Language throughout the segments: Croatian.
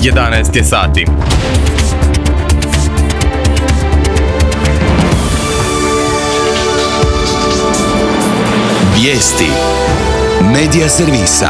11 je sati. Vijesti Medija servisa.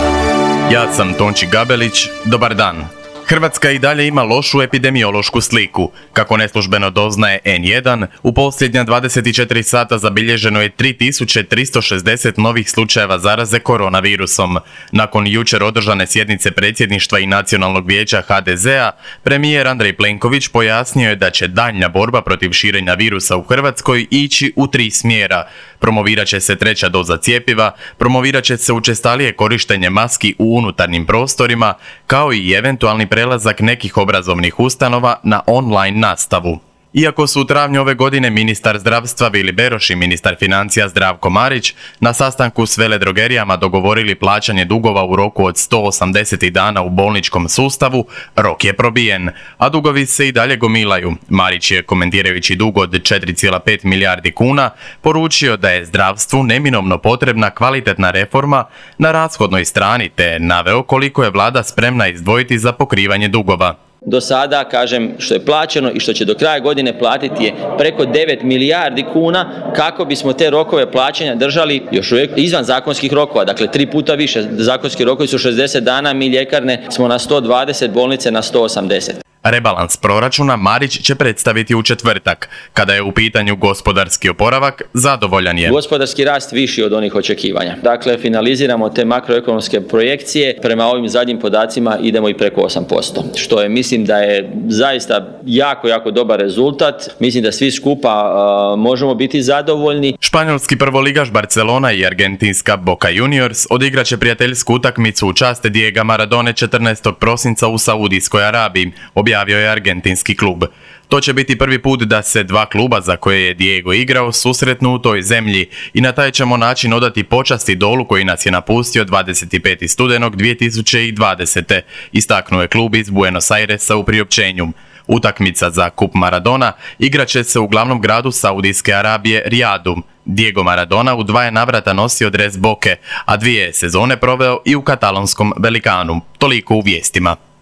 Ja sam Tonči Gabelić, dobar dan. Hrvatska i dalje ima lošu epidemiološku sliku. Kako neslužbeno doznaje N1, u posljednja 24 sata zabilježeno je 3360 novih slučajeva zaraze koronavirusom. Nakon jučer održane sjednice predsjedništva i Nacionalnog vijeća HDZ-a, premijer Andrej Plenković pojasnio je da će daljnja borba protiv širenja virusa u Hrvatskoj ići u 3 smjera. Promovirat će se 3. doza cjepiva, promovirat će se učestalije korištenje maski u unutarnjim prostorima, kao i eventualni prelazak nekih obrazovnih ustanova na online nastavu. Iako su u travnju ove godine ministar zdravstva Vili Beroš i ministar financija Zdravko Marić na sastanku s veledrogerijama dogovorili plaćanje dugova u roku od 180 dana u bolničkom sustavu, rok je probijen, a dugovi se i dalje gomilaju. Marić je, komentirajući dug od 4,5 milijardi kuna, poručio da je zdravstvu neminovno potrebna kvalitetna reforma na rashodnoj strani, te naveo koliko je vlada spremna izdvojiti za pokrivanje dugova. Do sada, kažem, što je plaćeno i što će do kraja godine platiti je preko 9 milijardi kuna kako bismo te rokove plaćanja držali još uvijek izvan zakonskih rokova. Dakle, 3 puta više. Zakonski rokovi su 60 dana, mi ljekarne smo na 120, bolnice na 180. Rebalans proračuna Marić će predstaviti u četvrtak. Kada je u pitanju gospodarski oporavak, zadovoljan je. Gospodarski rast viši od onih očekivanja. Dakle, finaliziramo te makroekonomske projekcije. Prema ovim zadnjim podacima idemo i preko 8%. Što je, mislim da je zaista jako dobar rezultat. Mislim da svi skupa možemo biti zadovoljni. Španjolski prvoligaš Barcelona i argentinska Boca Juniors odigraće prijateljsku utakmicu u čast Diega Maradone 14. prosinca u Saudijskoj Arabiji, objavio je argentinski klub. To će biti prvi put da se 2 kluba za koje je Diego igrao susretnu u toj zemlji i na taj ćemo način odati počast idolu koji nas je napustio 25. studenog 2020. Istaknuo je klub iz Buenos Airesa u priopćenju. Utakmica za kup Maradona igraće se u glavnom gradu Saudijske Arabije, Rijadu. Diego Maradona u 2 je navrata nosio dres Boke, a 2 sezone proveo i u katalonskom Velikanu. Toliko u vijestima.